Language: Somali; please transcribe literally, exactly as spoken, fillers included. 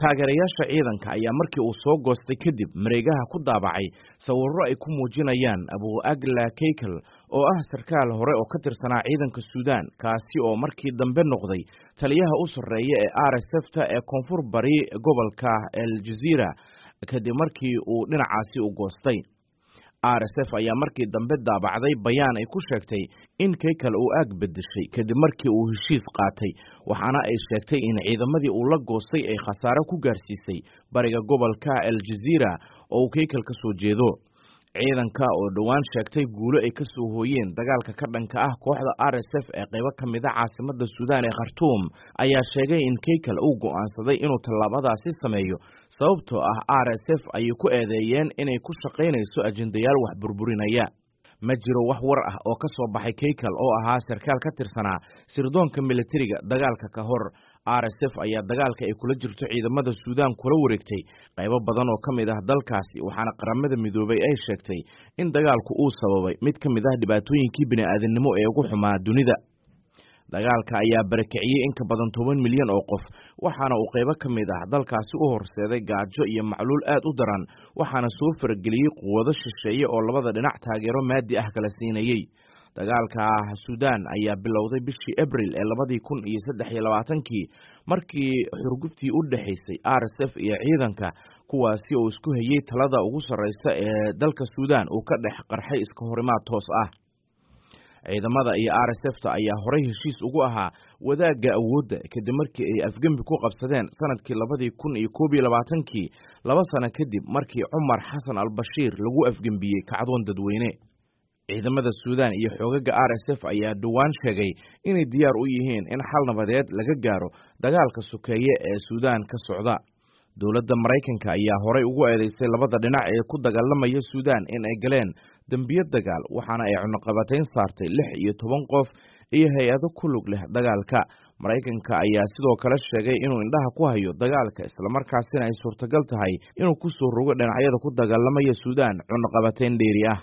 Taageerayaasha ciidanka ayaa markii uu soo goostay kadib mareegaha ku daabacay sawirro ay ku muujinayaan Abu Agla Keykel oo ah sarkaal hore oo ka tirsanaa ciidanka Suudaan, kaasi oo markii dambe noqday taliyaha u sarreeya ee R S F ta ee koonfur bari gobolka El Jaziira kadib markii uu dhinacaasi u goostay. R S F ayaa markii dambe daabacday bayaan ay ku sheegtay in Keykel uu aag bedeshay kadib markii uu heshiis qaatay, waxaana ay sheegtay in ciidamadii uu la goostay ay khasaare ku gaarsiisay bariga gobolka El Jaziira oo uu Keykel ka soo jeedo. Ciidanka oo dhowaan sheegtay guulo ay ka soo hooyeen dagaalka ka dhanka ah kooxda R S F ee qaybo ka mid ah caasimadda Suudaan ee Khartoum ayaa sheegay in Keykel uu go'aansaday inuu tallaabadaasi sameeyo sababtoo ah R S F ayay ku eedeeyeen inay ku shaqaynayso ajendayaal wax burburinaya. Ma jiro wax war ah oo ka soo baxay Keykel oo ahaa sarkaal ka tirsanaa sirdoonka militariga dagaalka ka hor. R S F ayaa dagaalka ay kula jirto ciidamada Suudaan kula wareegtay qaybo badan oo ka mid ah dalkaasi, waxaana Qaramada Midoobay ay sheegtay in dagaalku uu sababay mid ka mid ah dhibaatooyinkii bini'aadanimo ee ugu xumaa dunida. Dagaalka ayaa barakiciyey in ka badan toban milyan oo qof, waxaana uu qaybo ka mid ah dalkaasi u horseeday gaajo iyo macluul aad u daran, waxaana soo farageliyey quwado shisheeye oo labada dhinac taageero maadi ah kala siinayey. Dagaalka Suudaan ayaa bilowday bishii Abriil ee labadii kun iyo saddex iyo labaatankii markii xurguftii u dhexaysay R S F iyo ciidanka, kuwaasi oo isku hayay talada ugu sarreysa ee dalka Suudaan, uu ka dhex qarxay iska horimaad toos ah. Ciidamada iyo R S F ta ayaa horey heshiis ugu ahaa wadaagga awoodda kadib markii ay afgembi ku qabsadeen sanadkii labadii kun iyo koob iyo labaatankii, laba sano kadib markii Cumar Xasan al-Bashiir lagu afgembiyey kacdoon dadweyne. Ciidamada Suudaan iyo xoogagga R S F ayaa dhowaan sheegay inay diyaar u yihiin in xal nabadeed laga gaaro dagaalka sokeeye ee Suudaan ka socda. Dowladda Maraykanka ayaa horey ugu eedeysay labada dhinac ee ku dagaalamaya Suudaan in ay galeen dembiyo dagaal, waxaana ay cunaqabatayn saartay lix iyo toban qof iyo hay-ado ku lug leh dagaalka. Maraykanka ayaa sidoo kale sheegay inuu indhaha ku hayo dagaalka, islamarkaasina ay suurtagal tahay inuu ku soo rogo dhinacyada ku dagaalamaya Suudaan cunaqabatayn dheeri ah.